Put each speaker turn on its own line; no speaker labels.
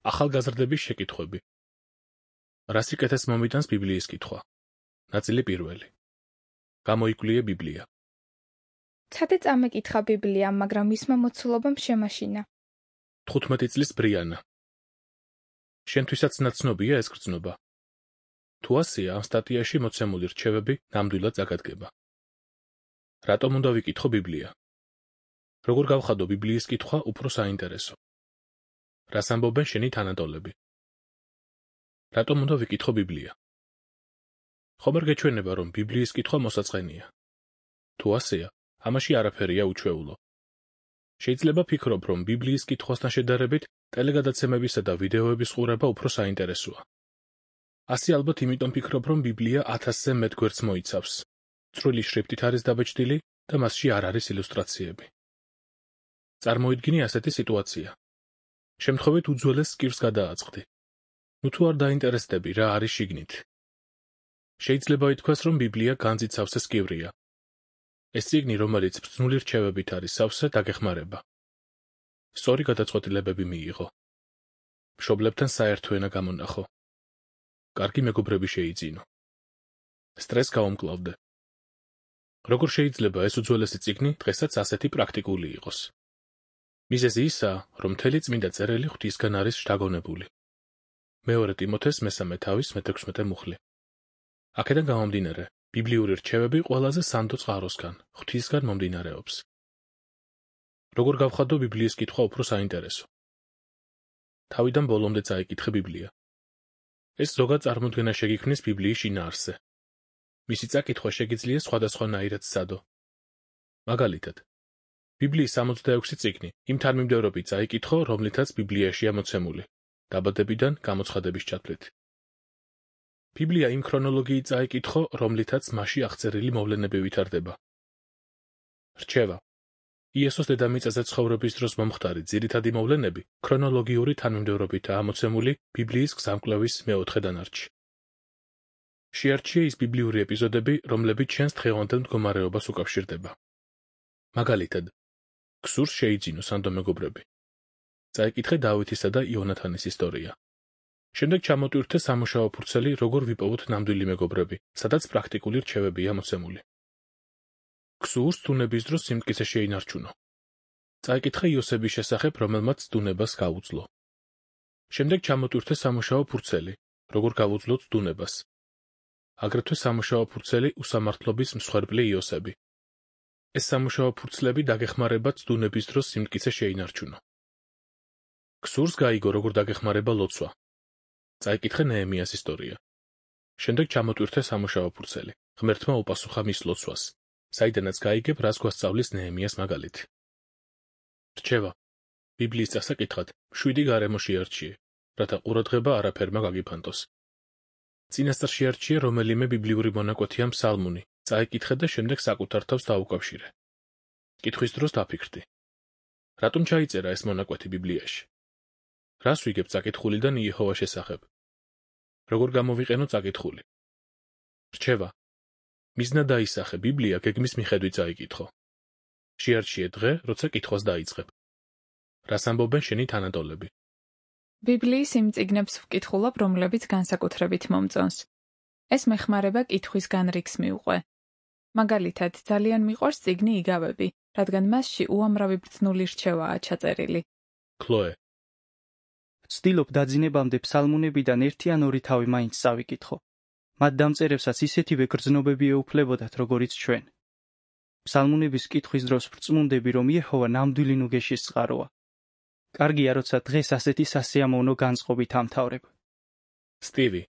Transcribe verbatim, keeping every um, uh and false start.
ახალგაზრდების შეკითხვები. რა სიკეთეს მომიტანს ბიბლიის კითხვა? ნაწილი პირველი. გამოიკვლია ბიბლია.
ცადე წამეკითხა ბიბლია, მაგრამ მისმა მოცულობამ შემაშინა.
თხუთმეტი წლის ბრიანა. შენთვისაც ნაცნობია ეს გრძნობა. თუ ასეა, ამ სტატიაში მოცემული რჩევები ნამდვილად წაგადგება. რატომ უნდა ვიკითხო ბიბლია? როგორ გავხადო ბიბლიის კითხვა უფრო საინტერესო? რას ამბობენ შენი თანატოლები? რატომ უნდა ვიკითხო ბიბლია? ხომ არ გეჩვენება, რომ ბიბლიის კითხვა მოსაწყენია? თუ ასეა, ამაში არაფერია უჩვეულო. შეიძლება ფიქრობ, რომ ბიბლიის კითხვასთან შედარებით ტელეგადაცემებისა და ვიდეოების ყურება უფრო საინტერესოა. ასე ალბათ იმიტომ ფიქრობ, რომ ბიბლია ათასზე მეტ გვერდს მოიცავს. წვრილი შრიფტით არის დაბეჭდილი და მასში არ არის ილუსტრაციები. წარმოიდგინე ასეთი სიტუაცია. შემთხვევით უძველეს სკივს გადააწყდი. ნუ თუ არ დაინტერესდები, რა არის შიგნით. შეიძლება ითქვას, რომ ბიბლია განძით სავსე სკივრია. ეს წიგნი, რომელიც ბრძნული რჩევებით არის სავსე, დაგეხმარება. სწორი გადაწყვეტილებები მიიღო. მშობლებთან საერთო ენა გამონახო. კარგი მეგობრები შეიძინო. სტრესს გაუმკლავდე. როგორ შეიძლება ეს უძველესი წიგნი დღესაც ასეთი პრაქტიკული იყოს? მიზეზი ისაა, რომ მთელი წმინდა წერილი ღვთისგან არის შთაგონებული. მეორე ტიმოთეს მესამე თავის მეთექვსმეტე მუხლი. აქედან გამომდინარე, ბიბლიური რჩევები ყველაზე სანდო წყაროსგან, ღვთისგან მომდინარეობს. როგორ გავხადო ბიბლიის კითხვა უფრო საინტერესო? თავიდან ბოლომდე წაიკითხე ბიბლია. ეს ზოგად წარმოდგენა შეგიქმნის ბიბლიის შინაარსზე. მისი წაკითხვა შეგიძლია სხვადასხვანაირად სცადო. მაგალითად, ბიბლიის სამოცდაექვსი წიგნი იმ თანმიმდევრობით წაიკითხო, რომლითაც ბიბლიაშია მოცემული, დაბადებიდან გამოცხადების ჩათვლით. ბიბლია იმ ქრონოლოგიით წაიკითხო, რომლითაც მასში აღწერილი მოვლენები ვითარდება. რჩევა. იესოს დედამიწაზე ცხოვრების დროს მომხდარი ძირითადი მოვლენები ქრონოლოგიური თანმიმდევრობითაა მოცემული ბიბლიის გზამკვლევის მეოთხე დანარჩში. შეარჩიე ის ბიბლიური ეპიზოდები, რომლებიც შენს დღევანდელ მდგომარეობას უკავშირდება. მაგალითად, გსურს შეიძინო სანდო მეგობრები. წაიკითხე დავითისა და იონათანის ისტორია. შემდეგ ჩამოტვირთე სამუშაო ფურცელი, როგორ ვიპოვოთ ნამდვილი მეგობრები, სადაც პრაქტიკული რჩევებია მოცემული. გსურს დუნების დროს სიმტკიცე შეინარჩუნო. წაიკითხე იოსების შესახებ, რომელმაც დუნებას გაუძლო. შემდეგ ჩამოტვირთე სამუშაო ფურცელი, როგორ გავუძლოთ დუნებას. აგრეთვე სამუშაო ფურცელი უსამართლობის მსხვერპლი იოსები. ეს სამუშაო ფურცლები დაგეხმარებათ დუნების დროს სიმტკიცე შეინარჩუნო. გსურს გაიგო, როგორ დაგეხმარება ლოცვა. წაიკითხე ნეემიას ისტორია. შემდეგ ჩამოტვირთე სამუშაო ფურცელი, ღმერთმა უპასუხა მის ლოცვას, საიდანაც გაიგებ, რას გვასწავლის ნეემიას მაგალითი. რჩევა. ბიბლიის წასაკითხად შვიდი გარემო შეარჩიე, რათა ყურადღება არაფერმა გაგიფანტოს. წინასწარ შეარჩიე რომელიმე ბიბლიური მონაკვეთია მსალმუნი, წაიკითხე და შემდეგ საკუთარ თავს დაუკავშირე. კითხვის დროს დაფიქრდი. რატომ ჩაიწერა ეს მონაკვეთი ბიბლიაში? რას ვიგებ წაკითხულიდან იეჰოვას შესახებ? როგორ გამოვიყენო წაკითხული? რჩევა. მიზნა დაისახე, ბიბლია გეგმის მიხედვით წაიკითხო. შეარჩიე დღე, როცა კითხვას დაიწყებ. რას ამბობენ შენი თანატოლები?
ბიბლიის იმ წიგნებს ვკითხულობ, რომლებიც განსაკუთრებით მომწონს. ეს მეხმარება კითხვის განრიგს მიუყვე. მაგალითად, ძალიან მიყვარს წიგნი იგავები, რადგან მასში უამრავი ბრძნული რჩევაა ჩაწერილი.
ქლოე.
ვცდილობ დაძინებამდე ფსალმუნებიდან ერთი ან ორი თავი მაინც წავიკითხო. მათ დამწერებსაც ისეთივე გრძნობები ეუფლებოდათ, როგორიც ჩვენ. ფსალმუნების კითხვის დროს ვრწმუნდები, რომ იეჰოვა ნამდვილი ნუგეშის წყაროა. კარგია, როცა დღეს ასეთი სასიამოვნო განწყობით ამთავრებ.
სტივი.